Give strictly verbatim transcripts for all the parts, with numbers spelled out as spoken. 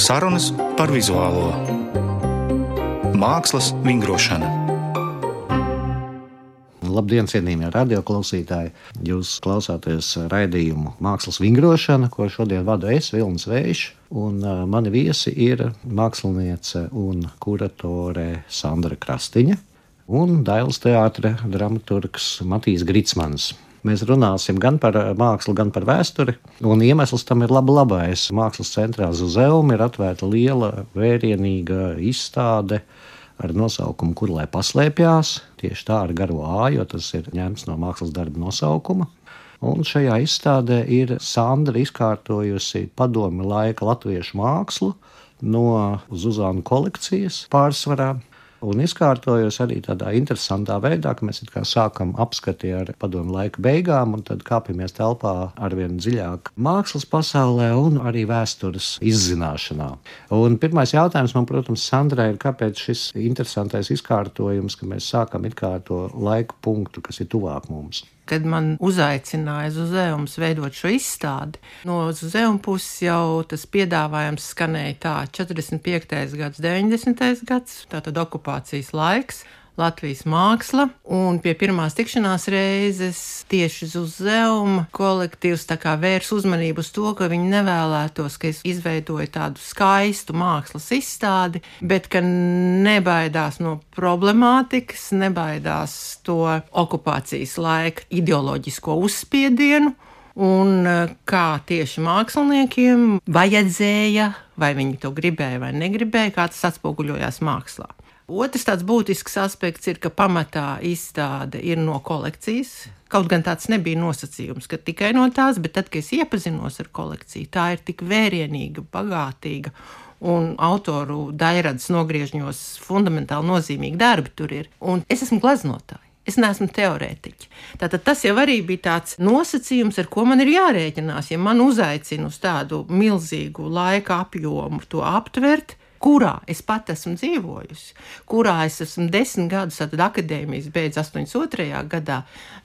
Sarunas par vizuālo mākslas vingrošanu. Labdien, cienījamie radioklausītāji! Jūs klausāties raidījumu Mākslas vingrošana, ko šodien vadu es, Vilnis Vējš, un mani viesi ir māksliniece un kuratore Sandra Krastiņa un Dailes teātra dramaturgs Matijs Gricmans. Mēs runāsim gan par mākslu, gan par vēsturi, un iemesls tam ir laba labais. Mākslas centrā Zuzeum ir atvērta liela, vērienīga izstāde ar nosaukumu Kur lai paslēpjās, tieši tā ar garo ā, jo tas ir ņemts no mākslas darba nosaukuma. Un šajā izstādē ir Sandra izkārtojusi padomju laika latviešu mākslu no Zuzānu kolekcijas pārsvarā. Un izkārtojos arī tādā interesantā veidā, ka mēs it kā sākam apskati ar padomu laika beigām un tad kāpjamies telpā arvien dziļāk mākslas pasaulē un arī vēstures izzināšanā. Un pirmais jautājums man, protams, Sandrai ir, kāpēc šis interesantais izkārtojums, ka mēs sākam it kā to laiku punktu, kas ir tuvāk mums. Kad man uzaicināja Zuzeums veidot šo izstādi, no Zuzeuma puses jau tas piedāvājums skanēja tā četrdesmit piektais gads, deviņdesmitais gads, tātad okupācijas laiks, Latvijas māksla, un pie pirmās tikšanās reizes tieši Zuzeuma kolektīvs tā kā vērs uzmanību uz to, ka viņi nevēlētos, ka es izveidoju tādu skaistu mākslas izstādi, bet ka nebaidās no problemātikas, nebaidās to okupācijas laika ideoloģisko uzspiedienu, un kā tieši māksliniekiem vajadzēja, vai viņi to gribēja vai negribēja, kā tas atspoguļojās mākslā. Otrs tāds būtisks aspekts ir, ka pamatā izstāde ir no kolekcijas. Kaut gan tāds nebija nosacījums, ka tikai no tās, bet tad, kad es iepazinos ar kolekciju, tā ir tik vērienīga, bagātīga un autoru daļradas nogriežņos fundamentāli nozīmīgi darbi tur ir. Un es esmu gleznotāja. Es neesmu teorētiķi. Tātad tas jau arī bija tāds nosacījums, ar ko man ir jārēķinās. Ja man uzaicina uz tādu milzīgu laika apjomu to aptvert, kurā es pat esmu dzīvojusi, kurā es esmu desmit gadus, tad akadēmijas beidz astoņdesmit otrajā gadā,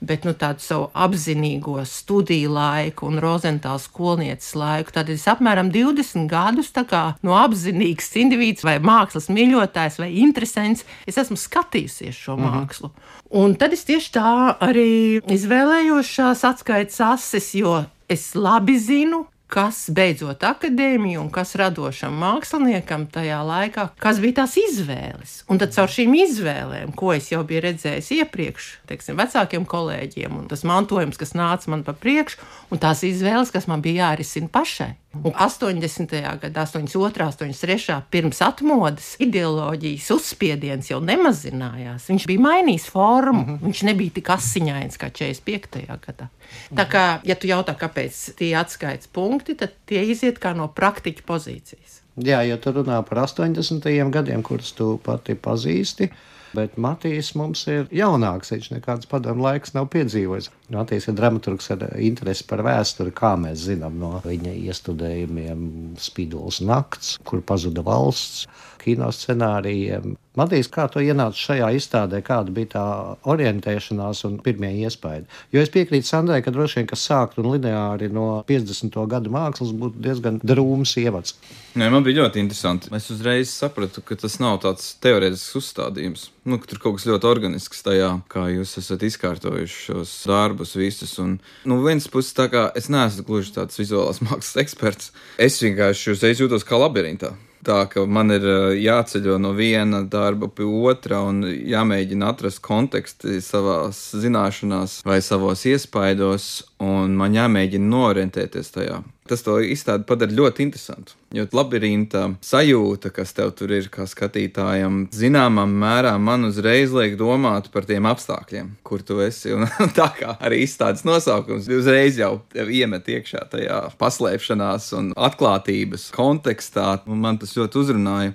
bet nu tādu savu apzinīgo studiju laiku un Rozentāla skolnieces laiku, tad es apmēram divdesmit gadus tā kā no apzinīgs individs vai mākslas mīļotājs vai interesants, es esmu skatījusies šo mm-hmm. mākslu. Un tad es tieši tā arī izvēlējos šās atskaites ases, jo es labi zinu, kas beidzot akadēmiju un kas radošam māksliniekam tajā laikā, kas bija tās izvēles. Un tad caur šīm izvēlēm, ko es jau biju redzējis iepriekš, teiksim, vecākiem kolēģiem, un tas mantojums, kas nāca man pa priekšu, un tās izvēles, kas man bija jārisina pašai. Un astoņdesmitajā gadā, astoņdesmit otrā, astoņdesmit trešā pirms atmodas ideoloģijas uzspiediens jau nemazinājās. Viņš bija mainījis formu, mm-hmm. viņš nebija tik asiņains kā četrdesmit piektajā gadā. Tā kā, ja tu jautā, kāpēc tie atskaites punkti, tad tie iziet kā no praktiķa pozīcijas. Jā, ja tu runā par astoņdesmitajiem gadiem, kurus tu pati pazīsti, bet Matijs mums ir jaunāks, viņš nekāds padomu laiks nav piedzīvojis. Matijs ir dramaturgs ar interesi par vēsturi, kā mēs zinām no viņa iestudējumiem Spīdols nakts, Kur pazuda valsts, kino scenārijiem. Matijs, kā tu ienāci šajā izstādē, kāda bija tā orientēšanās un pirmie iespaidi? Jo es piekrītu Sandrai, ka droši vien, kas sākt un lineāri no piecdesmito gadu mākslas būtu diezgan drūms ievads. Nē, man bija ļoti interesanti. Es uzreiz sapratu, ka tas nav tāds teorētisks uzstādījums. Nu, ka tur kaut kas ļoti organisks tajā, kā jūs esat izkārtojuši šos darbus visus. Un, nu, viens puses tā kā es neesmu gluži tāds vizuālās mākslas eksperts. Es vienkārši uzreiz jūtos kā labirintā. Tā, ka man ir jāceļo no viena darba pie otra un jāmēģina atrast konteksti savās zināšanās vai savos iespaidos, un man jāmēģina noorientēties tajā. Tas to izstādi padara ļoti interesantu, jo labirinta sajūta, kas tev tur ir kā skatītājam, zināmā mērā man uzreiz liek domāt par tiem apstākļiem, kur tu esi, un tā kā arī izstādes nosaukums uzreiz jau tev iemet iekšā tajā paslēpšanās un atklātības kontekstā, un man tas ļoti uzrunāja.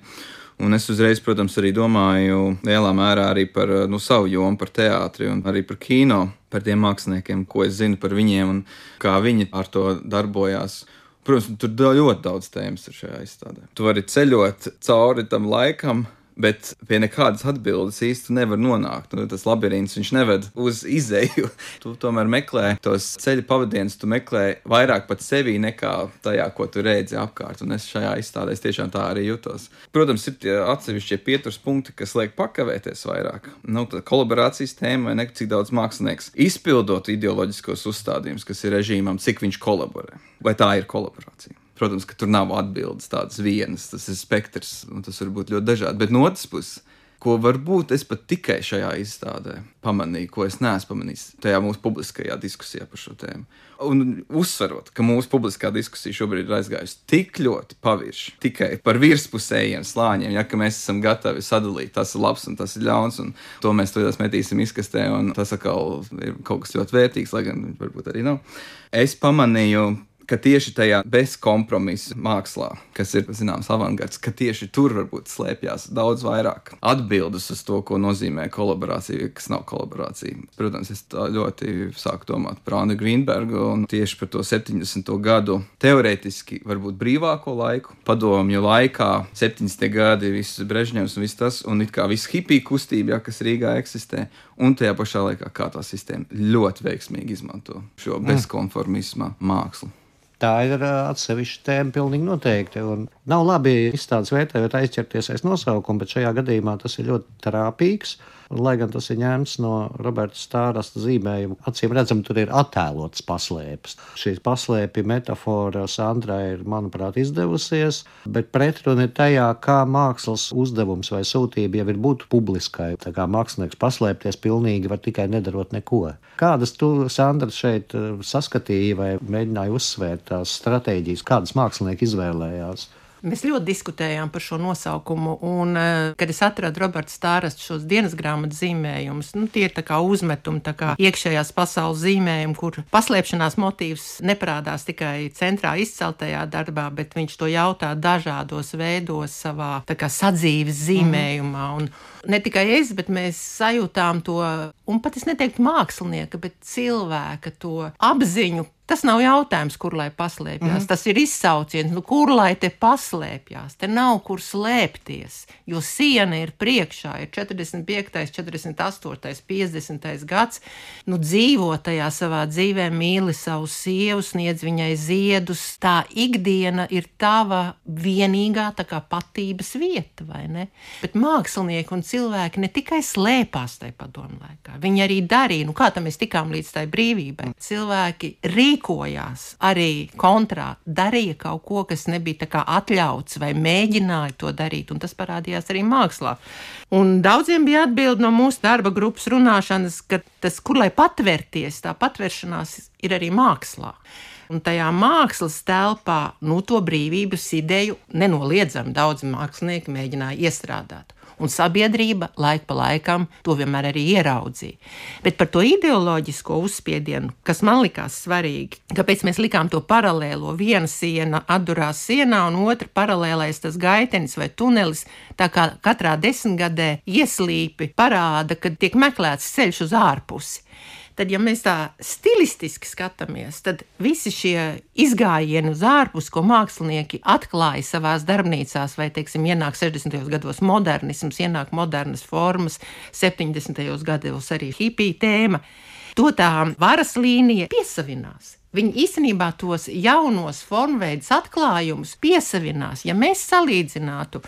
Un es uzreiz, protams, arī domāju lielā mērā arī par nu, savu jomu, par teātri un arī par kino, par tiem māksliniekiem, ko es zinu par viņiem un kā viņi ar to darbojās. Protams, tur ļoti daudz tēmas ir šajā izstādē. Tu vari ceļot cauri tam laikam, Bet pie nekādas atbildes īsti nevar nonākt. Nu, tas labirints, viņš neved uz izēju. Tu tomēr meklē tos ceļa pavadienus, tu meklē vairāk pat sevī nekā tajā, ko tu redzi apkārt. Un es šajā izstādē tiešām tā arī jutos. Protams, ir tie atsevišķie pieturas punkti, kas liek pakavēties vairāk. Nu, tā kolaborācijas tēma vai ne, cik daudz mākslinieks izpildot ideoloģiskos uzstādījumus, kas ir režīmam, cik viņš kolaborē. Vai tā ir kolaborācija? Protams, ka tur nav atbildes tādas vienas, tas ir spektrs, un tas var būt ļoti dažādi. Bet no otras puses, ko varbūt es pat tikai šajā izstādē pamanīju, ko es neesmu pamanījis tajā mūsu publiskajā diskusijā par šo tēmu. Un uzsverot, ka mūsu publiskā diskusija šobrīd ir aizgājusi tik ļoti pavirši, tikai par virspusējiem slāņiem, ja, ka mēs esam gatavi sadalīt, tas ir labs un tas ir ļauns, un to mēs to metīsim izkastē, un tas atkal ir kaut kas ļoti vērtīgs, lai gan varbūt arī nav. Es pamanīju, ka tieši tajā bezkompromisa mākslā, kas ir, zināms, avangards, ka tieši tur varbūt slēpjās daudz vairāk atbildes uz to, ko nozīmē kolaborācija, kas nav kolaborācija. Protams, es tā ļoti sāku domāt par Annu Grīnbergu un tieši par to septiņdesmito gadu teorētiski varbūt brīvāko laiku, padomju laikā, septiņdesmitie gadi, viss Brežņevs un viss tas, un it kā viss hipija kustība, ja, kas Rīgā eksistē, un tajā pašā laikā kā tā sistēma ļoti veiksmīgi izmanto šo bezkonformisma mākslu. Tā ir atsevišķa tēma pilnīgi noteikti. Un nav labi izstādes vērtējot aizķerties aiz nosaukumu, bet šajā gadījumā tas ir ļoti trāpīgs. Un, lai gan tas ir ņemts no Roberta Stārasta zīmējuma, acīm redzam, tur ir attēlots paslēpes. Šī paslēpja metafora Sandrai ir, manuprāt, izdevusies, bet pretruna ir tajā, kā mākslas uzdevums vai sūtība jau ir būt publiskai. Tā kā mākslinieks paslēpties pilnīgi var tikai nedarot neko. Kādas tu, Sandra, šeit saskatīji vai mēģināji uzsvērt tās stratēģijas, kādas mākslinieki izvēlējās? Mēs ļoti diskutējām par šo nosaukumu, un, kad es atradu Roberta Stārasta šos dienas grāmatas zīmējumus, nu, tie ir tā kā uzmetumi, tā kā iekšējās pasaules zīmējumi, kur paslēpšanās motīvs neparādās tikai centrā izceltajā darbā, bet viņš to jautā dažādos veidos savā tā kā sadzīves zīmējumā. Un ne tikai es, bet mēs sajūtām to, un pat es neteiktu mākslinieka, bet cilvēka to apziņu. Tas nav jautājums, kur lai paslēpjās. Mm-hmm. Tas ir izsauciens, nu kur lai te paslēpjās. Te nav kur slēpties, jo siena ir priekšā, ir četrdesmit piektais, četrdesmit astotais, piecdesmitais gads. Nu dzīvo tajā savā dzīvē, mīli savu sievu, sniedz viņai ziedus. Tā ikdiena ir tava vienīgā tā kā patības vieta, vai ne? Bet mākslinieki un cilvēki ne tikai slēpās tajā padomu laikā. Viņi arī darīja, nu kā tam mēs tikām līdz tai brīvībai. Cilvēki rīkojās arī kontrā, darīja kaut ko, kas nebija tā kā atļauts vai mēģināja to darīt, un tas parādījās arī mākslā. Un daudziem bija atbildi no mūsu darba grupas runāšanas, ka tas, kur lai patvērties, tā patvēršanās ir arī mākslā. Un tajā mākslas telpā, nu, to brīvības ideju nenoliedzami daudzi mākslinieki mēģināja iestrādāt. Un sabiedrība laik pa laikam to vienmēr arī ieraudzīja. Bet par to ideoloģisko uzspiedienu, kas man likās svarīgi, kāpēc mēs likām to paralēlo, viena siena atdurās sienā un otra paralēlais tas gaitenis vai tunelis, tā kā katrā desmitgadē ieslīpi parāda, kad tiek meklēts ceļš uz ārpusi. Tad, ja mēs tā stilistiski skatāmies, tad visi šie izgājieni uz ārpus, ko mākslinieki atklāja savās darbnīcās, vai, teiksim, ienāk sešdesmitajos gados modernisms, ienāk modernas formas, septiņdesmitajos gados arī hipija tēma, to tā varas līnija piesavinās. Viņi īstenībā tos jaunos formveidus atklājumus piesavinās. Ja mēs salīdzinātu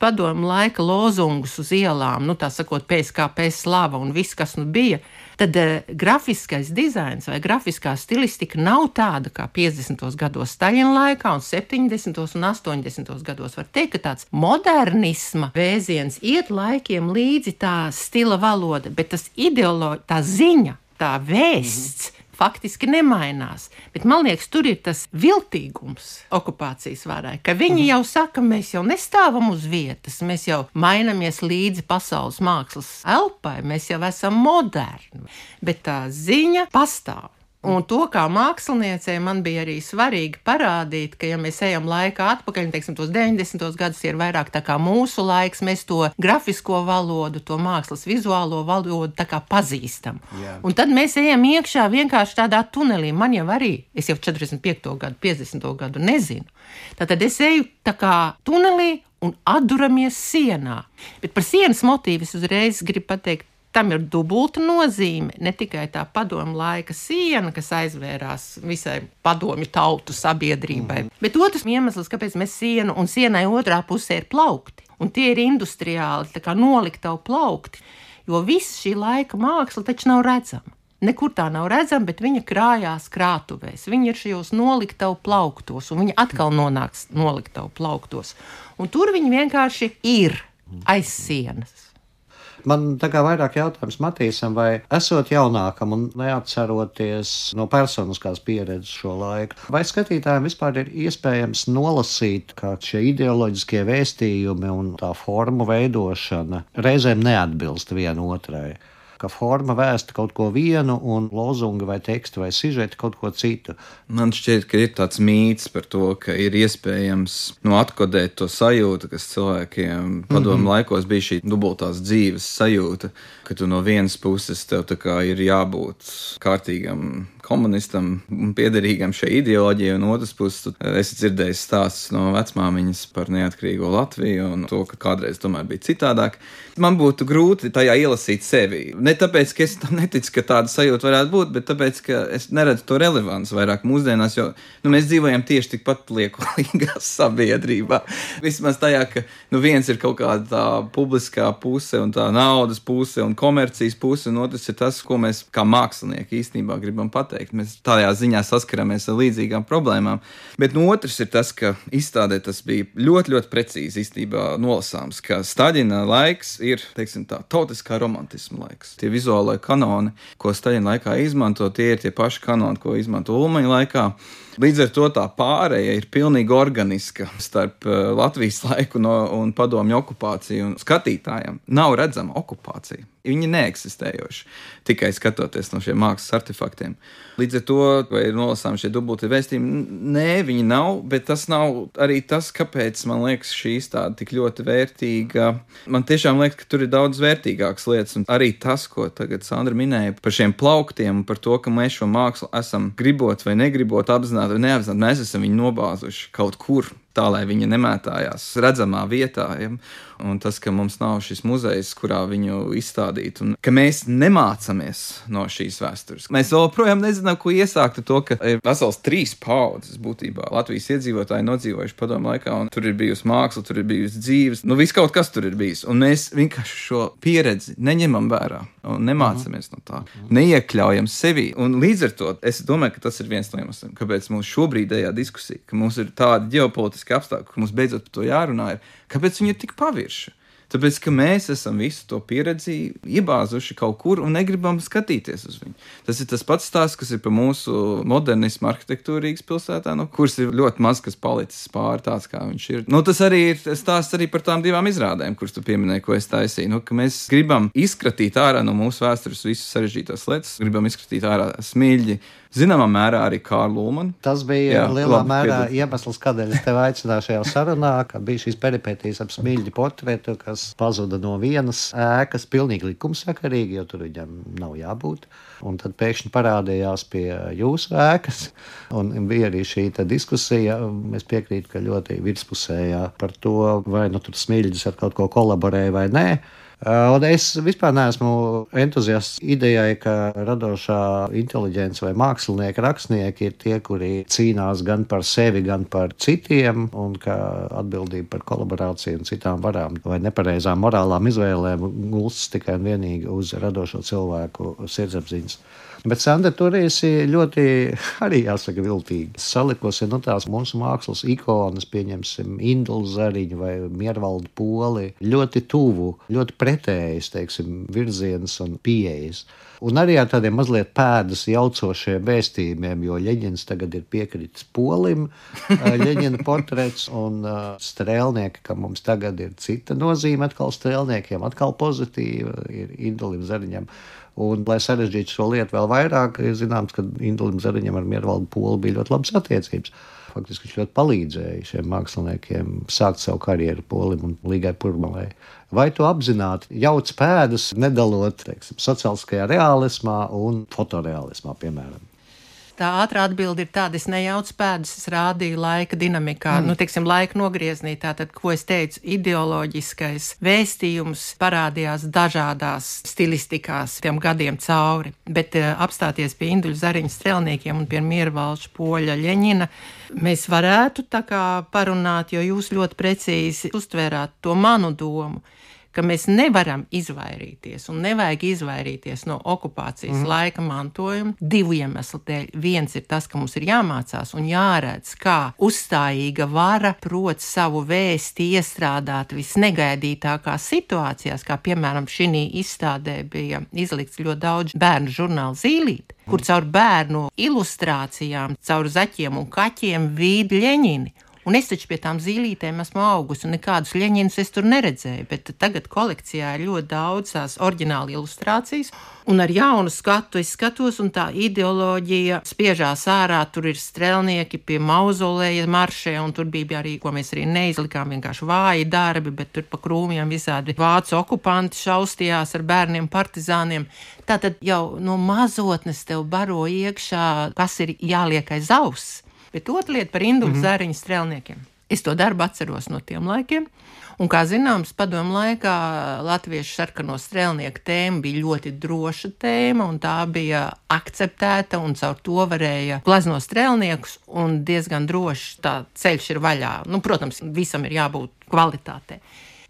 padomu laika lozungus uz ielām, nu tā sakot, P S K P slava un viss, kas nu bija, tad uh, grafiskais dizains vai grafiskā stilistika nav tāda kā piecdesmitos gados Staļina laikā un septiņdesmitos un astoņdesmitos gados. Var teikt, ka tāds modernisma vēziens iet laikiem līdzi tā stila valoda, bet tas ideoloģi, tā ziņa, tā vēsts, mm-hmm. faktiski nemainās, bet man liekas, tur ir tas viltīgums okupācijas varai, ka viņi jau saka, mēs jau nestāvam uz vietas, mēs jau mainamies līdzi pasaules mākslas elpai, mēs jau esam moderni, bet tā ziņa pastāv. Un to kā māksliniecei man bija arī svarīgi parādīt, ka ja mēs ejam laikā atpakaļ, teiksim, tos deviņdesmitos gadus ir vairāk tā kā mūsu laiks, mēs to grafisko valodu, to mākslas vizuālo valodu tā kā pazīstam. Yeah. Un tad mēs ejam iekšā vienkārši tādā tunelī. Man jau arī, es jau četrdesmit piekto gadu, piecdesmito gadu nezinu. Tātad es eju tā kā tunelī un atduramies sienā. Bet par sienas motīvu es uzreiz gribu pateikt, tam ir dubulta nozīme, ne tikai tā padomu laika siena, kas aizvērās visai padomju tautu sabiedrībai, mm. bet otrs iemesls, kāpēc mēs sienu un sienai otrā pusē ir plaukti. Un tie ir industriāli, tā kā noliktavu plaukti, jo viss šī laika māksla taču nav redzama. Nekur tā nav redzama, bet viņa krājās krātuvēs. Viņa ir šajos noliktavu plauktos, un viņa atkal nonāks noliktavu plauktos. Un tur viņa vienkārši ir aiz sienas. Man tā kā vairāk jautājums Matīsam, vai esot jaunākam un neatceroties no personiskās pieredzes šo laiku, vai skatītājiem vispār ir iespējams nolasīt, kā šie ideoloģiskie vēstījumi un tā formu veidošana reizēm neatbilst viena otrai? Ka forma vēsta kaut ko vienu un lozunga vai tekstu vai sižeti kaut ko citu. Man šķiet, ka ir tāds mīts par to, ka ir iespējams nu, atkodēt to sajūtu, kas cilvēkiem padomu mm-hmm. laikos bija šī dubultās dzīves sajūta, ka tu no vienas puses tev tā kā ir jābūt kārtīgam komunistam un piederīgam šai ideoloģijai, un otras puses esi dzirdējis stāstus no vecmāmiņas par neatkarīgo Latviju un to, ka kādreiz tomēr bija citādāk. Man būtu grūti tajā ielasīt sevi. Ne tāpēc, ka es tam neticu, ka tāda sajūta varētu būt, bet tāpēc, ka es neredzu to relevanci vairāk mūsdienās, jo nu, mēs dzīvojam tieši tikpat liekulīgā sabiedrībā. Vismaz tajā, ka nu, viens ir kaut kāda tā publiskā puse un tā naudas puse un komercijas puse, un otrs ir tas, ko mēs kā mākslinieki īstenībā gribam pateikt. Mēs tādā ziņā saskaramies ar līdzīgām problēmām. Bet no otrs ir tas, ka izstādē tas bija ļoti, ļoti precīzi īstenībā nolasāms, ka Staļina laiks ir, teiksim tā, tautiskā romantisma laiks. Tie vizuālai kanoni, ko Staļina laikā izmanto, tie ir tie paši kanoni, ko izmanto Ulmaņa laikā. Līdz ar to tā pārēja ir pilnīgi organiska starp Latvijas laiku no, un padomju okupāciju un skatītājiem. Nav redzama okupācija. Viņi neeksistējoši, tikai skatoties no šiem mākslas artefaktiem. Līdz ar to, vai ir nolasām šie dubulti vēstījumi, nē, viņi nav, bet tas nav arī tas, kāpēc man liekas šī izstāde tik ļoti vērtīga. Man tiešām liekas, ka tur ir daudz vērtīgākas lietas, un arī tas, ko tagad Sandra minēja par šiem plauktiem un par to, ka mēs šo mākslu esam gribot vai negribot apzināti vai neapzināti, mēs esam viņu nobāzuši kaut kur, tā, lai viņa nemētājās redzamā vietā. Ja? Un tas, ka mums nav šis muzejs, kurā viņu izstādīt, un ka mēs nemācamies no šīs vēstures. Mēs joprojām nezinām, ko iesākt ar to, ka ir vesels trīs paudzes būtībā Latvijas iedzīvotāji nodzīvojuši padomu laikā, un tur ir bijusi māksla, tur ir bijusi dzīves, nu viss kaut kas tur ir bijis. Un mēs vienkārši šo pieredzi neņemam vērā un nemācamies no tā, neiekļaujam sevi. Un līdz ar to es domāju, ka tas ir viens no iemesliem, kāpēc mums šobrīdējā diskusija, ka mums ir tāda ģeopolitiska apstākļi, ka mums beidzot par to jārunā ir, kāpēc viņi ir tik pavirši? Tāpēc, ka mēs esam visu to pieredzi iebāzuši kaut kur un negribam skatīties uz viņu. Tas ir tas pats stāsts, kas ir par mūsu modernismu arhitektūru Rīgas pilsētā, no kuras ir ļoti maz, kas palicis pāri tāds, kā viņš ir. Nu, tas arī ir stāsts arī par tām divām izrādēm, kuras tu pieminēji, ko es taisīju. Nu, ka mēs gribam izskatīt ārā no mūsu vēstures visas sarežģītās lietas, gribam izskatīt ārā smilģi, zināmā mērā arī Kārlu Ulmanu. Tas bija jā, lielā labi, mērā piedod. Iemesls, kādēļ es tevi aicināju šajā sarunā, ka bija šīs peripētīs ap smilģi portretu, kas pazuda no vienas ēkas pilnīgi likumsakarīgi, jo tur viņam nav jābūt. Un tad pēkšņi parādījās pie jūsu ēkas, un bija arī šī diskusija, es piekrītu, ka ļoti virspusējā par to, vai nu tur smilģis ar kaut ko kolaborēja vai nē. Un es vispār neesmu entuziasts idejai, ka radošā inteliģence vai mākslinieki, rakstnieki ir tie, kuri cīnās gan par sevi, gan par citiem, un ka atbildība par kolaborāciju un citām varām vai nepareizām morālām izvēlēm gulstas tikai un vienīgi uz radošo cilvēku sirdsapziņas. Bet, Sandra, tur esi ļoti, arī jāsaka, viltīgi salikusi, nu tās mūsu mākslas ikonas, pieņemsim, Indulu Zariņu vai Miervaldu Poli, ļoti tuvu, ļoti pretējas, teiksim, virziens un pieejas. Un arī ar tādiem mazliet pēdas jaucošiem vēstījumiem, jo Ļeņins tagad ir piekritis Polim, Ļeņina portrets un uh, strēlnieki, ka mums tagad ir cita nozīme atkal strēlniekiem, atkal pozitīva, ir Indulim Zariņam. Un, lai sarežģītu šo lietu vēl vairāk, ir zināms, ka Indulim Zariņam ar Miervaldu Poli bija ļoti labas attiecības. Faktiski viņš ļoti palīdzēja šiem māksliniekiem sākt savu karjeru, Polim un Līgai Purmalei. Vai tu apzināti jauc pēdas, nedalot, teiksim, sociāliskajā reālismā un fotoreālismā, piemēram? Tā ātrā atbilde ir tāda, es nejaucu pēdas, es rādīju laika dinamikā, mm. nu, teiksim, laika nogrieznī, tātad, ko es teicu, ideoloģiskais vēstījums parādījās dažādās stilistikās tiem gadiem cauri, bet uh, apstāties pie Induļa Zariņa strelniekiem un pie Miervalža Poļa Ļeņina, mēs varētu tā kā parunāt, jo jūs ļoti precīzi uztvērāt to manu domu, ka mēs nevaram izvairīties un nevajag izvairīties no okupācijas mm. laika mantojuma divu iemeslu dēļ. Viens ir tas, ka mums ir jāmācās un jāredz, kā uzstājīga vara prot savu vēsti iestrādāt visnegaidītākās situācijās, kā piemēram šī izstādē bija izlikts ļoti daudz bērnu žurnālu Zīlīti, kur caur bērnu ilustrācijām, caur zaķiem un kaķiem vīd Ļeņini. Un es taču pie tām zīlītēm esmu augusi, un nekādus Ļeņinus es tur neredzēju, bet tagad kolekcijā ir ļoti daudz tās oriģināli ilustrācijas, un ar jaunu skatu es skatos, un tā ideoloģija spiežās ārā, tur ir strelnieki pie mauzolēja maršē, un tur bija arī, ko mēs arī neizlikām, vienkārši vāji darbi, bet tur pa krūmiem visādi vācu okupanti šaustījās ar bērniem partizāniem. Tātad jau no mazotnes tev baro iekšā, kas ir jāliek aiz auss. Bet otra lieta par Induļa mm-hmm. Zariņa strelniekiem. Es to darbu atceros no tiem laikiem, un, kā zināms, padomu laikā latviešu sarkano strelnieku tēma bija ļoti droša tēma, un tā bija akceptēta, un caur to varēja glaznot strelniekus, un diezgan droši tā ceļš ir vaļā. Nu, protams, visam ir jābūt kvalitātei.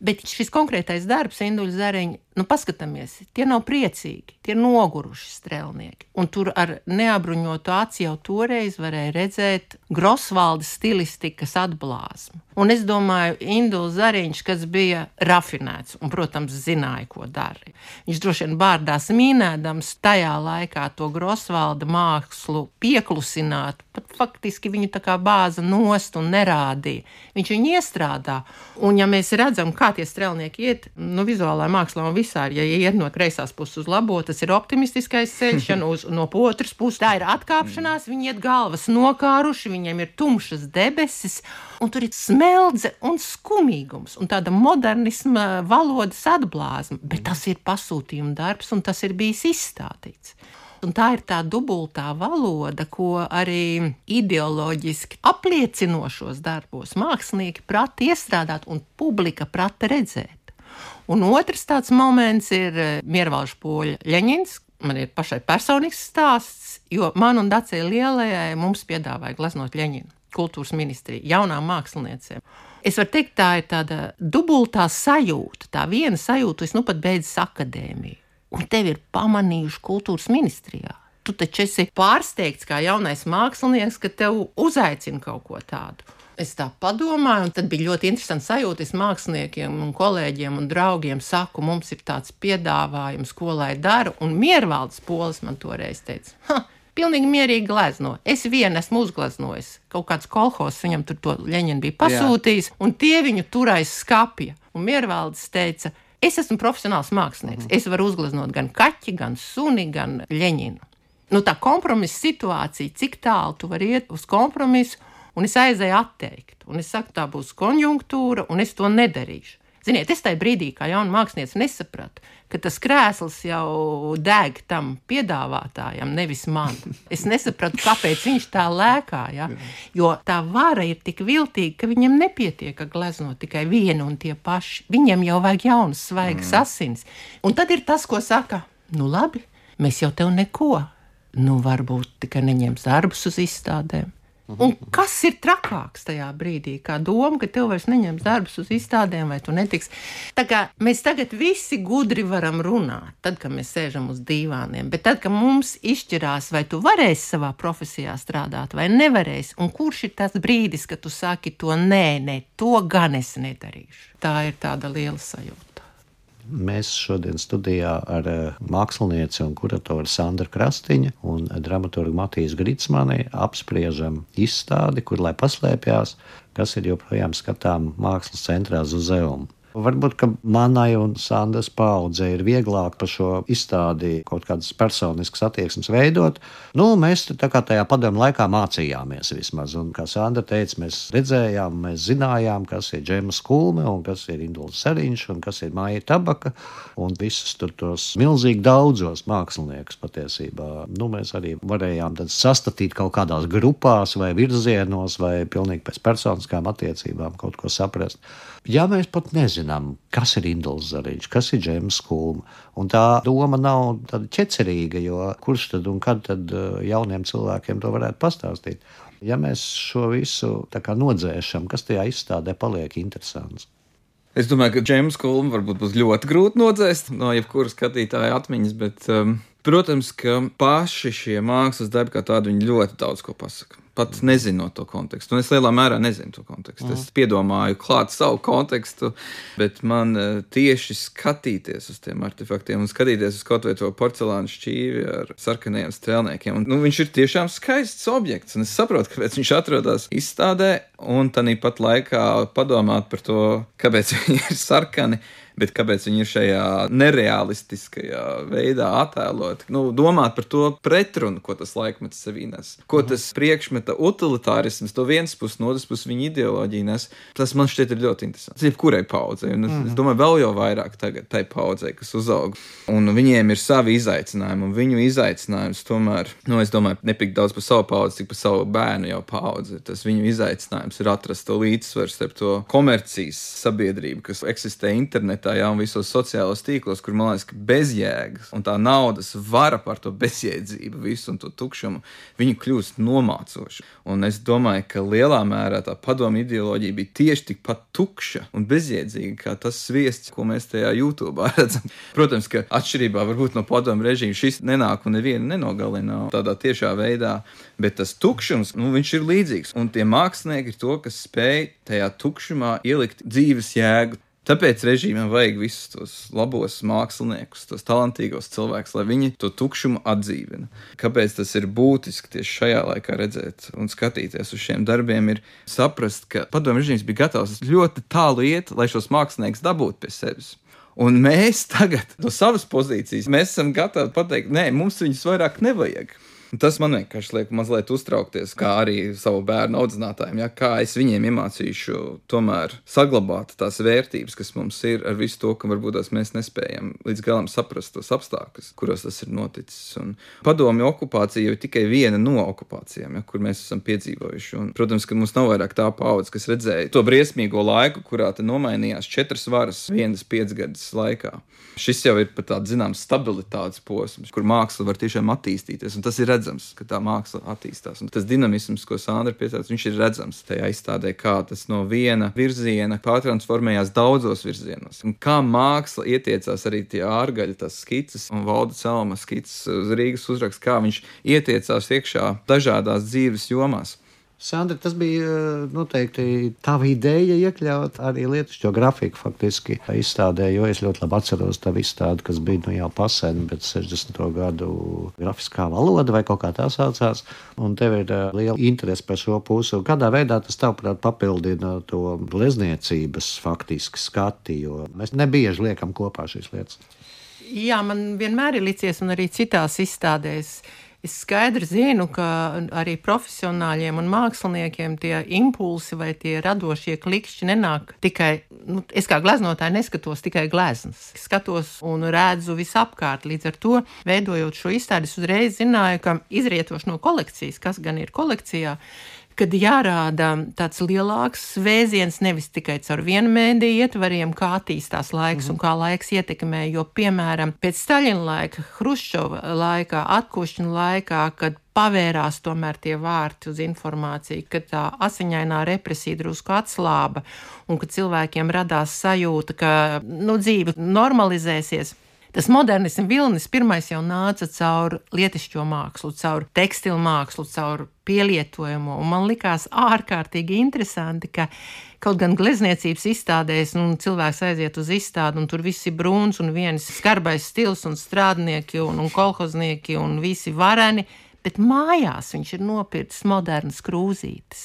Bet šis konkrētais darbs, Induļa Zariņa, nu paskatāmies, tie nav priecīgi, tie ir noguruši strelnieki. Un tur ar neapbruņotu aci jau toreiz varēja redzēt Grosvalda stilistikas atblāzmu. Un es domāju, Induļa Zariņš, kas bija rafinēts un, protams, zināja, ko dara. Viņš droši vien bārdās mīnēdams tajā laikā to Grosvalda mākslu pieklusināt, pat faktiski viņu tā kā bāza nost un nerādīja. Viņš viņu iestrādā. Un ja mēs redzam, kā tie strelnieki iet, nu, vizuālā mākslā un visā, ja iet no kreisās puses uz labo, tas ir optimistiskais ceļš, un uz, no otras puses tā ir atkāpšanās, viņi iet galvas nokāruši, viņiem ir tumšas debesis, un tur ir smeldze un skumīgums, un tāda modernisma valodas atblāzma, bet tas ir pasūtījuma darbs, un tas ir bijis izstādīts. Un tā ir tā dubultā valoda, ko arī ideoloģiski apliecinošos darbos mākslinieki prata iestrādāt un publika prata redzēt. Un otrs tāds moments ir Miervalža Poļa Ļeņins. Man ir pašai personīgs stāsts, jo man un Dacei Lielajai mums piedāvāja glaznot Ļeņinu kultūras ministrija jaunām māksliniecēm. Es varu teikt, tā ir tāda dubultā sajūta, tā viena sajūta, es nu pat beidzis akadēmiju. Un tevi ir pamanījuši kultūras ministrijā. Tu taču esi pārsteigts kā jaunais mākslinieks, ka tev uzaicina kaut ko tādu. Es tā padomāju, un tad bija ļoti interesanti sajūta. Es māksliniekiem un kolēģiem un draugiem saku, mums ir tāds piedāvājums, ko lai daru. Un Miervaldes Polis man toreiz teica, ha, pilnīgi mierīgi glezno. Es vienu esmu uzgleznojis. Kaut kāds kolhos viņam tur to Ļeņinu bija pasūtījis, Jā. Un tie viņu turaiz skapja. Un Miervaldes teica, es esmu profesionāls mākslinieks. Es varu uzgleznot gan kaķi, gan suni, gan Ļeņinu. Nu, tā kompromisa situācija, cik tālu tu vari iet uz kompromisu, un es aizēju atteikt. Un es saku, tā būs konjunktūra, un es to nedarīšu. Ziniet, es tajā brīdī, kā jauna mākslinieca, nesapratu, ka tas krēsls jau deg tam piedāvātājam, nevis man. Es nesapratu, kāpēc viņš tā lēkā, ja? Jo tā vara ir tik viltīga, ka viņam nepietiek gleznot tikai vienu un tie paši. Viņam jau vajag jaunas, svaigas mm. asins. Un tad ir tas, ko saka, nu labi, mēs jau tev neko, nu varbūt tikai neņems darbus uz izstādēm. Un kas ir trakāks tajā brīdī, kā doma, ka tev vairs neņems darbus uz izstādēm vai tu netiks. Tā kā mēs tagad visi gudri varam runāt, tad, kad mēs sēžam uz dīvāniem, bet tad, kad mums izšķirās, vai tu varēsi savā profesijā strādāt vai nevarēsi, un kurš ir tas brīdis, kad tu saki to nē, nē, to gan es nedarīšu. Tā ir tāda liela sajūta. Mēs šodien studijā ar mākslinieci un kuratoru Sandru Krastiņu un dramaturgu Matīs Gritsmani apspriežam izstādi, kur lai paslēpjās, kas ir joprojām skatām Mākslas centrā Zuzeum. Varbūt, ka manai un Sandras paudzei ir vieglāk par šo izstādi kaut kādas personiskas attieksmes veidot. Nu, mēs tā kā tajā padomu laikā mācījāmies vismaz. Un, kā Sandra teica, mēs redzējām, mēs zinājām, kas ir Džemas Kulme un kas ir Induls Seriņš un kas ir Maija Tabaka un visus tur tos milzīgi daudzos māksliniekus patiesībā. Nu, mēs arī varējām tad sastatīt kaut kādās grupās vai virzienos vai pilnīgi pēc personiskām attiecībām kaut ko saprast. Ja mēs pat nezinām, kas ir Induls Zariņš, kas ir Džemas Kulme, un tā doma nav tāda ķecerīga, jo kurš tad un kad tad jauniem cilvēkiem to varētu pastāstīt. Ja mēs šo visu tā kā nodzēšam, kas tajā izstādē paliek interesants? Es domāju, ka Džemas Kulme varbūt būs ļoti grūti nodzēst no jebkura skatītāja atmiņas, bet, um, protams, ka paši šie mākslas darbi kā tādi, viņi ļoti daudz ko pasaka. Pat nezinot to kontekstu. Un es lielā mērā nezinu to kontekstu. Mm. Es piedomāju klāt savu kontekstu, bet man uh, tieši skatīties uz tiem artefaktiem un skatīties uz kaut vai to porcelāna šķīvi ar sarkanajiem strēlniekiem. Un, nu, viņš ir tiešām skaists objekts, un es saprotu, kāpēc viņš atrodas izstādē, un tāpat laikā padomāt par to, kāpēc viņi ir sarkani, bet kāpēc viņi ir šajā nerealistiskajā veidā attēloti. Nu, domāt par to pretrunu, ko tas laikmets sevī nes. Ko tas priekšmeta utilitārisms, to viens puses, no otras puses viņa ideoloģija nes. Tas man šķiet ir ļoti interesants. Jebkurai paudzei, un es, mm. es domāju vēl jau vairāk tagad tai paudzei, kas uzaug. Un viņiem ir savi izaicinājumi, un viņu izaicinājums tomēr, nu, es domāju, nepik daudz par savu paudzi, cik par savu bērnu jau paudzi. Tas viņu izaicinājums ir atrast to līdzsvaru starp to komercijas sabiedrību, kas eksistē internetā, jā, un visos sociālos tīklos, kur, man liekas, ka bezjēgas un tā naudas vara par to bezjēdzību visu un to tukšumu, viņi kļūst nomācoši. Un es domāju, ka lielā mērā tā padomu ideoloģija bija tieši tikpat tukša un bezjēdzīga, kā tas sviests, ko mēs tajā YouTube'ā redzam. Protams, ka atšķirībā varbūt no padomu režīma šis nenāk un nevienu nenogalina tādā tiešā veidā, bet tas tukšums, nu, viņš ir līdzīgs. Un tie mākslinieki ir to, kas spēj tajā tukšumā ielikt dzīves jēgu. Tāpēc režīmam vajag visus tos labos māksliniekus, tos talantīgos cilvēkus, lai viņi to tukšumu atdzīvina. Kāpēc tas ir būtiski tieši šajā laikā redzēt un skatīties uz šiem darbiem, ir saprast, ka padomju režīms bija gatavs ļoti tālu iet, lai šos māksliniekus dabūtu pie sevis. Un mēs tagad no savas pozīcijas, mēs esam gatavi pateikt, nē, mums viņus vairāk nevajag. Tas man vienkārši liek mazliet uztraukties, kā arī savu bērnu audzinātājiem, ja, kā es viņiem iemācīšu tomēr saglabāt tās vērtības, kas mums ir ar visu to, ka varbūt tās mēs nespējam līdz galam saprast tos apstākļus, kuros tas ir noticis. Un padomju okupācija jau ir tikai viena no okupācijām, ja, kur mēs esam piedzīvojuši. Un, protams, ka mums nav vairāk tā paudze, kas redzēja to briesmīgo laiku, kurā te nomainījās četras varas vienas piecgadas laikā. Šis jau ir pat tāds, zināms, stabilitātes posms, kur māksla var tiešām attīstīties, un tas ir redzams, ka tā māksla attīstās. Un tas dinamisms, ko Sandra piesauc, viņš ir redzams tajā izstādē, kā tas no viena virziena pārtransformējās daudzos virzienos. Un kā māksla ietiecās arī tie ārgaļi, tās skices un Valda Celma skices uz Rīgas uzraksts, kā viņš ietiecās iekšā dažādās dzīves jomās. Sandra, tas bija noteikti tava ideja iekļaut arī lietušķo grafiku faktiski izstādē, jo es ļoti labi atceros tavu izstādi, kas bija nu jau pasen, bet sešdesmito gadu grafiskā valoda vai kaut kā tā saucās, un tev ir liela interese par šo pusi. Kādā veidā tas tavuprāt papildina to glezniecības faktiski skati, jo mēs nebieži liekam kopā šīs lietas? Jā, man vienmēr ir licies un arī citās izstādēs. Es skaidri zinu, ka arī profesionāļiem un māksliniekiem tie impulsi vai tie radošie klikšķi nenāk tikai, nu, es kā gleznotāji neskatos tikai gleznas. Skatos un redzu visapkārt. Līdz ar to, veidojot šo izstādi, es uzreiz zināju, ka izrietoši no kolekcijas, kas gan ir kolekcijā, kad jārāda tāds lielāks vēziens nevis tikai caur vienu mēdīju ietvariem, kā attīstās laiks un kā laiks ietekmē, jo, piemēram, pēc Staļina laika, Hruščova laikā, atkušņa laikā, kad pavērās tomēr tie vārti uz informāciju, kad tā asiņainā represija drusku atslāba un kad cilvēkiem radās sajūta, ka, nu, dzīve normalizēsies. Tas modernisms vilnis pirmais jau nāca caur lietišķo mākslu, caur tekstilu mākslu, caur pielietojumu. Un man likās ārkārtīgi interesanti, ka kaut gan glezniecības izstādēs, nu, cilvēks aiziet uz izstādi, un tur visi brūns un viens skarbais stils un strādnieki un, un kolhoznieki un visi vareni, bet mājās viņš ir nopircis modernas krūzītes.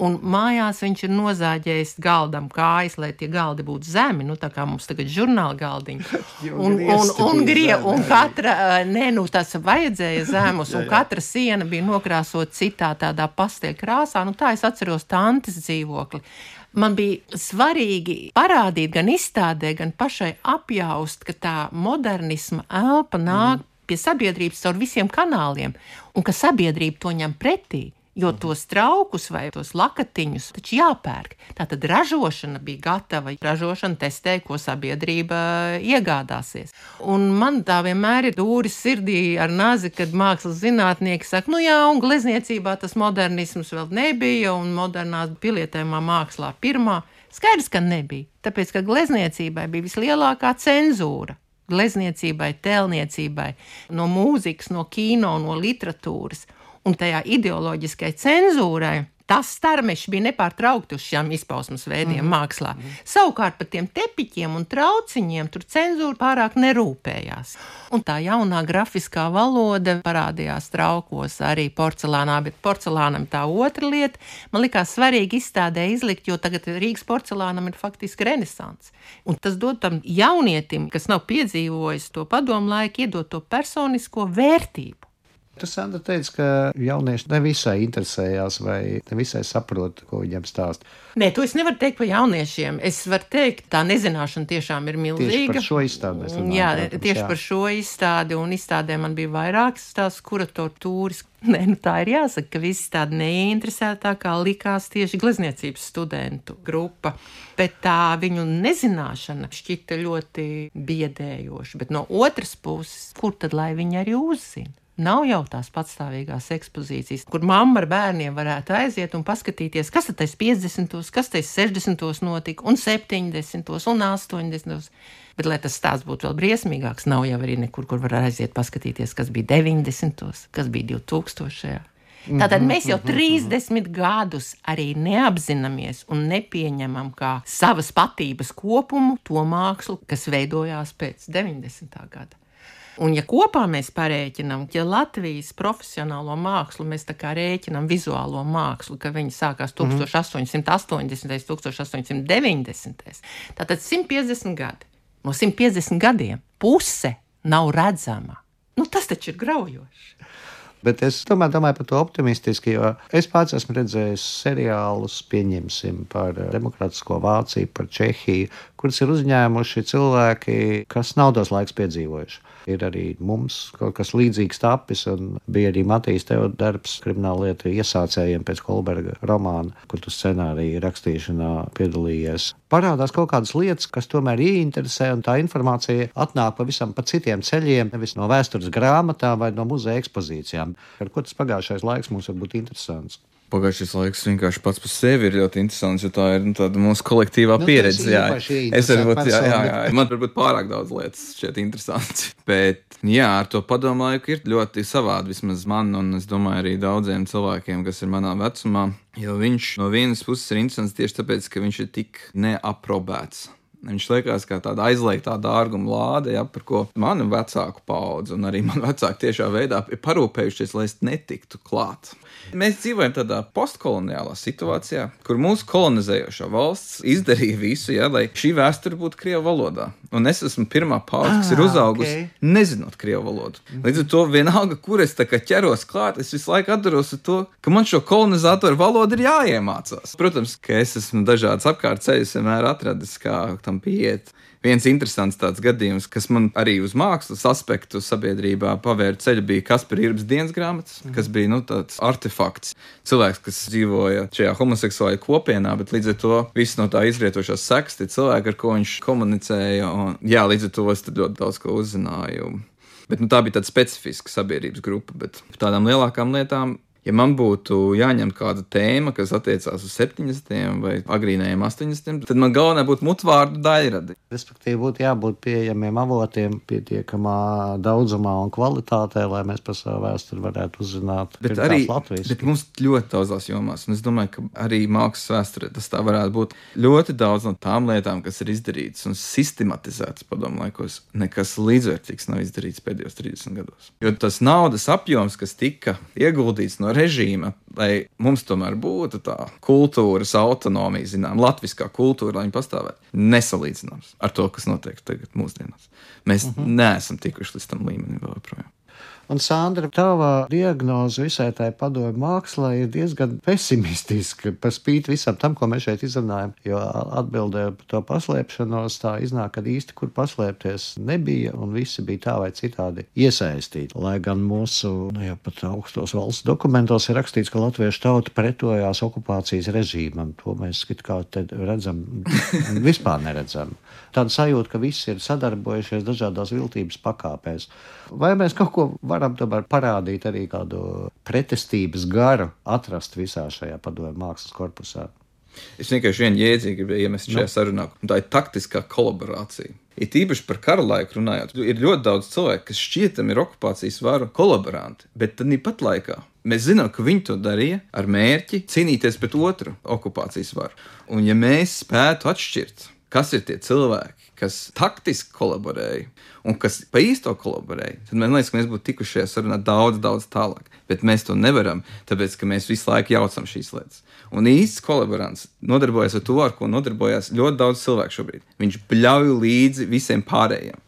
Un mājās viņš ir nozāģējis galdam kājas, lai tie galdi būtu zemi, nu tā kā mums tagad žurnāla galdiņi. Un, un, un, grie, un katra, nē, nu tas vajadzēja zemus, un katra siena bija nokrāsot citā tādā pasteļu krāsā. Nu tā es atceros tantes dzīvokli. Man bija svarīgi parādīt gan izstādē, gan pašai apjaust, ka tā modernisma elpa nāk mm. pie sabiedrības caur visiem kanāliem, un ka sabiedrība to ņem pretī, jo tos traukus vai tos lakatiņus taču jāpērk. Tātad ražošana bija gatava, ražošana testēja, ko sabiedrība iegādāsies. Un man tā vienmēr ir dūris sirdī ar nazi, kad mākslas zinātnieki saka, nu jā, un glezniecībā tas modernisms vēl nebija, un modernā pilietējumā mākslā pirmā. Skaidrs, ka nebija, tāpēc, ka glezniecībai bija vislielākā cenzūra. Glezniecībai, tēlniecībai, no mūzikas, no kino, no literatūras. Un tajā ideoloģiskai cenzūrai tas starmešs bija nepārtraukti uz šiem izpausmas veidiem mm. mākslā. Mm. Savukārt par tiem tepiķiem un trauciņiem tur cenzūra pārāk nerūpējās. Un tā jaunā grafiskā valoda parādījās traukos arī porcelānā, bet porcelānam tā otra lieta. Man likās svarīgi izstādē izlikt, jo tagad Rīgas porcelānam ir faktiski renesants. Un tas dod tam jaunietim, kas nav piedzīvojis to padomu laiku, iedot to personisko vērtību. Tu, Sandra, teici, ka jaunieši nevisai interesējās vai nevisai saprot, ko viņiem stāst. Nē, to es nevaru teikt par jauniešiem. Es varu teikt, tā nezināšana tiešām ir milzīga. Tieši par šo izstādi mēs runājam. Jā, protams, tieši jā. par šo izstādi, un izstādē man bija vairākas tās kuratoru tūris. Nē, nu tā ir jāsaka, ka visi tādi neinteresētākā likās tieši glezniecības studentu grupa. Bet tā viņu nezināšana šķita ļoti biedējoša. Bet no otras puses, kur tad lai viņi arī uzzina? Nav jau tās patstāvīgās ekspozīcijas, kur mamma ar bērniem varētu aiziet un paskatīties, kas tad tais piecdesmitos, kas tais sešdesmitos notika, un septiņdesmitos, un astoņdesmitos. Bet, lai tas stāsts būtu vēl briesmīgāks, nav jau arī nekur, kur var aiziet paskatīties, kas bija deviņdesmitos, kas bija divtūkstošajā. Tātad mēs jau trīsdesmit gadus arī neapzināmies un nepieņemam kā savas patības kopumu to mākslu, kas veidojās pēc deviņdesmitā gada. Un ja kopā mēs parēķinām, ja Latvijas profesionālo mākslu mēs tā kā rēķinām vizuālo mākslu, ka viņi sākās tūkstoš astoņsimt astoņdesmitais, tūkstoš astoņsimt deviņdesmitais, tātad simt piecdesmit gadi. No simt piecdesmit gadiem puse nav redzama. Nu, tas taču ir graujoši. Bet es tomēr domāju par to optimistiski, jo es pats esmu redzējis seriālus, pieņemsim, par demokrātisko Vāciju, par Čehiju, kuras ir uzņēmuši cilvēki, kas nav tos laiks piedzīvojuši. Ir arī mums kaut kas līdzīgs tapis, un bija arī Matīs tev darbs krimināllietu iesācējiem pēc Kolberga romāna, kur tu scenāriju rakstīšanā piedalījies. Parādās kaut kādas lietas, kas tomēr ieinteresē, un tā informācija atnāk pavisam pa citiem ceļiem, nevis no vēstures grāmatām vai no muzeja ekspozīcijām. Ar ko tas pagājušais laiks mums var būt interesants? Pagājušais laiks vienkārši pats par sevi ir ļoti interesants, jo tā ir nu, tāda mūsu kolektīvā nu, pieredze. Jā, es varbūt, jā, jā, jā. Man varbūt pārāk daudz lietas šķiet interesants. Bet, jā, ar to padomu laiku ir ļoti savādi, vismaz man, un es domāju arī daudziem cilvēkiem, kas ir manā vecumā, jo viņš no vienas puses ir interesants tieši tāpēc, ka viņš ir tik neaprobēts. Viņš liekas kā tāda aizliegtā dārguma lāde, ja, par ko manu vecāku paudze un arī man vecāki tiešā veidā ir parūpējušies, lai es netiktu klāt. Mēs dzīvojam tādā postkoloniālā situācijā, kur mūsu kolonizējošā valsts izdarīja visu, ja, lai šī vēsture būtu krievu valodā. Un es esmu pirmā paudze, kas ir uzaugusi okay. nezinot krievu valodu. Līdz ar to vienalga, kur es tā kā ķeros klāt, es visu laiku atdaros ar to, ka man šo kolonizatoru valodu ir jāiemācās. Protams, ka es esmu dažādas apkārt ceļus vienmēr atradis, kā tam pieiet. Viens interesants tāds gadījums, kas man arī uz mākslas aspektu sabiedrībā pavēra ceļu, bija Kaspera Irbes dienas grāmatas, kas bija nu, tāds artefakts. Cilvēks, kas dzīvoja šajā homoseksuālajā kopienā, bet līdz ar to viss no tā izrietošās sekas, tie cilvēki, ar ko viņš komunicēja. Un, jā, līdz ar to es ļoti daudz ko uzzināju. Bet nu, tā bija tāda specifiska sabiedrības grupa, bet par tādām lielākām lietām Ja man būtu jāņem kāda tēma, kas attiecās uz septiņdesmitiem vai agrīnajiem astoņdesmitiem, tad man galvenā būtu mutvārdu daļradi. Respektīvi, būtu jābūt pieejamiem avotiem pietiekamā daudzumā un kvalitātē, lai mēs par savu vēsturi varētu uzzināt. Bet arī bet mums ļoti daudzās jomās, un es domāju, ka arī mākslas vēsturē tas tā varētu būt. Ļoti daudz no tām lietām, kas ir izdarītas un sistematizētas padomu laikos, nekas līdzvērtīgs nav izdarīts pēdējos trīsdesmit gados. Jo tas naudas apjoms, kas tika ieguldīts no režīma, lai mums tomēr būtu tā kultūras autonomija, zinām, latviskā kultūra, lai viņa pastāvētu, nesalīdzināms ar to, kas notiek tagad mūsdienās. Mēs uh-huh. neesam tikuši līdz tam līmenim vēl joprojām. Un, Sandra, tava diagnoze visai tai padomju mākslā ir diezgan pesimistiska, par spīti visam tam, ko mēs šeit izrunājam, jo atbildē par to paslēpšanos tā iznāk, ka īsti kur paslēpties nebija, un visi bija tā vai citādi iesaistīti. Lai gan mūsu, nu, ja pat augstos valsts dokumentos ir rakstīts, ka latviešu tauta pretojās okupācijas režīmam. To mēs it kā te redzam, vispār neredzam. Tāda sajūta, ka visi ir sadarbojušies dažādās viltības pakāpēs. Vai mēs kaut ko varam tomēr parādīt arī kādu pretestības garu atrast visā šajā padomju mākslas korpusā? Es vienkārši vienu jēdzienu gribēju iemest šajā no. sarunā, un tā ir taktiskā kolaborācija. It īpaši par kara laiku runājot, ir ļoti daudz cilvēku, kas šķietam ir okupācijas varu kolaboranti, bet tad pat laikā mēs zinām, ka viņi to darīja ar mērķi cīnīties pret otru okupācijas varu. Un ja mēs spētu atšķirt, kas ir tie cilvēki, kas taktiski kolaborēja un kas pa īsto kolaborēja, tad man liekas, ka mēs būtu tikuši šajā sarunā daudz, daudz tālāk. Bet mēs to nevaram, tāpēc, ka mēs visu laiku jaucam šīs lietas. Un īsts kolaborants nodarbojas ar to, ar ko nodarbojas ļoti daudz cilvēku šobrīd. Viņš bļauj līdzi visiem pārējiem.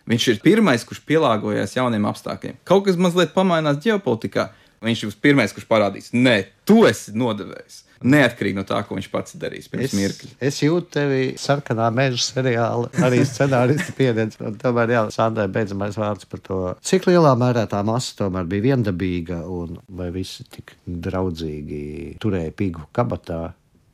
Viņš ir pirmais, kurš pielāgojas jauniem apstākļiem. Kaut kas mazliet pamainās ģeopolitikā, viņš ir pirmais, kurš parādīs, nē, tu esi nodevējis. Neatkarīgi no tā, ko viņš pats darīs pirms mirkļa. Es jūtu tevi sarkanā meža seriāla, arī scenāristi pieredzi. Un tomēr, jā, Sandrai beidzamais vārds par to, cik lielā mērā tā masa tomēr bija viendabīga un vai visi tik draudzīgi turēja pigu kabatā.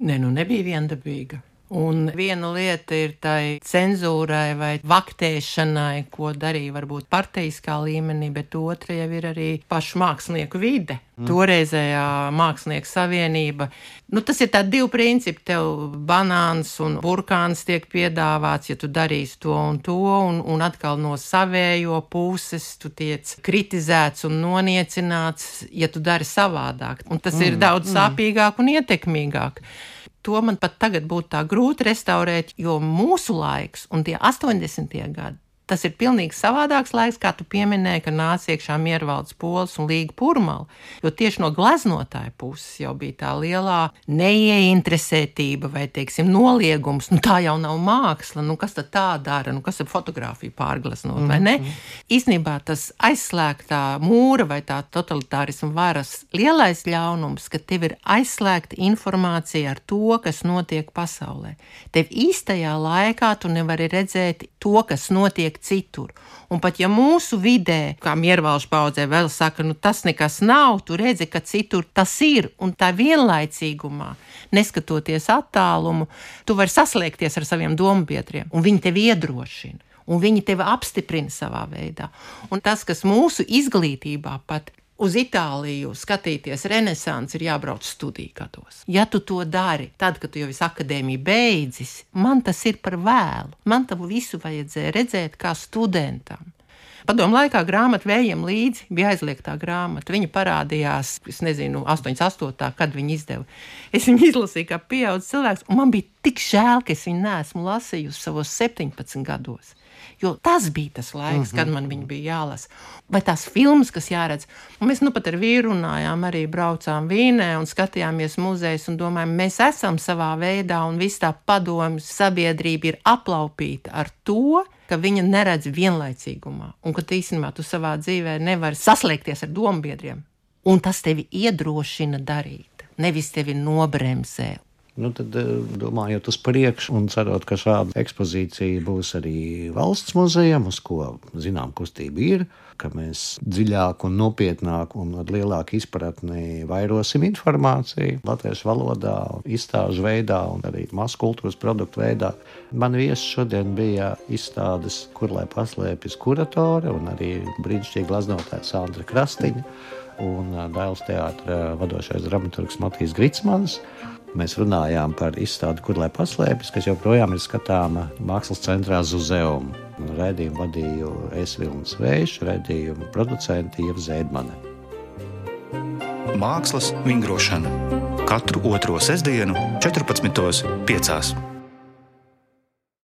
Nē, nu nebija viendabīga. Un viena lieta ir tai cenzūrai vai vaktēšanai, ko darīja varbūt parteiskā līmenī, bet otra jau ir arī pašu mākslinieku vide. Mm. Toreizējā mākslinieku savienība. Nu, tas ir tādi divi principi. Tev banāns un burkāns tiek piedāvāts, ja tu darīsi to un to, un, un atkal no savējo puses tu tiec kritizēts un noniecināts, ja tu dari savādāk. Un tas mm. ir daudz mm. sāpīgāk un ietekmīgāk. To man pat tagad būtu tā grūti restaurēt, jo mūsu laiks un tie astoņdesmitie gadi, tas ir pilnīgi savādāks laiks, kā tu pieminēji, ka nāca iekšā Miervaldes Pols un Līga Purmala, jo tieši no gleznotāja puses jau bija tā lielā neieinteresētība vai, teiksim, noliegums, nu tā jau nav māksla, nu kas tad tā dara, nu kas ir fotografija pārgleznot, mm-hmm. vai ne? Īstenībā tas aizslēgtā mūra vai tā totalitārisma varas lielais ļaunums, ka tev ir aizslēgta informācija ar to, kas notiek pasaulē. Tev īstajā laikā tu nevari redzēt to, kas notiek citur. Un pat ja mūsu vidē, kā Miervalžu paudzē vēl saka, nu tas nekas nav, tu redzi, ka citur tas ir, un tā vienlaicīgumā, neskatoties attālumu, tu vari saslēgties ar saviem dombiedriem, un viņi tevi iedrošina, un viņi tevi apstiprina savā veidā. Un tas, kas mūsu izglītībā pat uz Itāliju skatīties renesansi, ir jābrauc studiju gados. Ja tu to dari, tad, kad tu jau esi akadēmiju beidzis, man tas ir par vēlu. Man tavu visu vajadzēja redzēt kā studentam. Padomu laikā grāmata Vējiem līdzi bija aizliegtā grāmata. Viņa parādījās, es nezinu, astoņdesmit astotā, kad viņa izdeva. Es viņu izlasīju kā pieaudzis cilvēks, un man bija tik žēl, ka es viņu neesmu lasījusi savos septiņpadsmit gados. Jo tas bija tas laiks, uh-huh. kad man viņa bija jālasa. Vai tās filmas, kas jāredz. Un mēs nu pat ar vīru runājām, arī braucām Vīnē un skatījāmies muzejus un domājām, mēs esam savā veidā un viss tā padomju sabiedrība ir aplaupīta ar to, ka viņa neredz vienlaicīgumā un ka īstenībā tu savā dzīvē nevari saslēgties ar dombiedriem. Un tas tevi iedrošina darīt, nevis tevi nobremzē. Nu, tad, domājot uz priekšu un cerot, ka šāda ekspozīcija būs arī valsts muzejam, uz ko zinām kustība ir, ka mēs dziļāk un nopietnāk un ar lielāku izpratni vairosim informāciju latviešu valodā, izstāžu veidā un arī masu kultūras produktu veidā. Man viesi šodien bija izstādes Kur lai paslēpjas kuratore un arī brīnišķīgi gleznotāja Sandra Krastiņa un Dailes teātra vadošais dramaturgs Matijs Gritsmanis. Mēs runājām par izstādi Kur lai paslēpjas, kas joprojām ir skatāma Mākslas centrā Zuzeum. Raidījumu vadīju es Vilnis Vējš, raidījumu producenti Ieva Zēdmane. Mākslas vingrošana. Katru otro sestdienu četrpadsmitos piecās.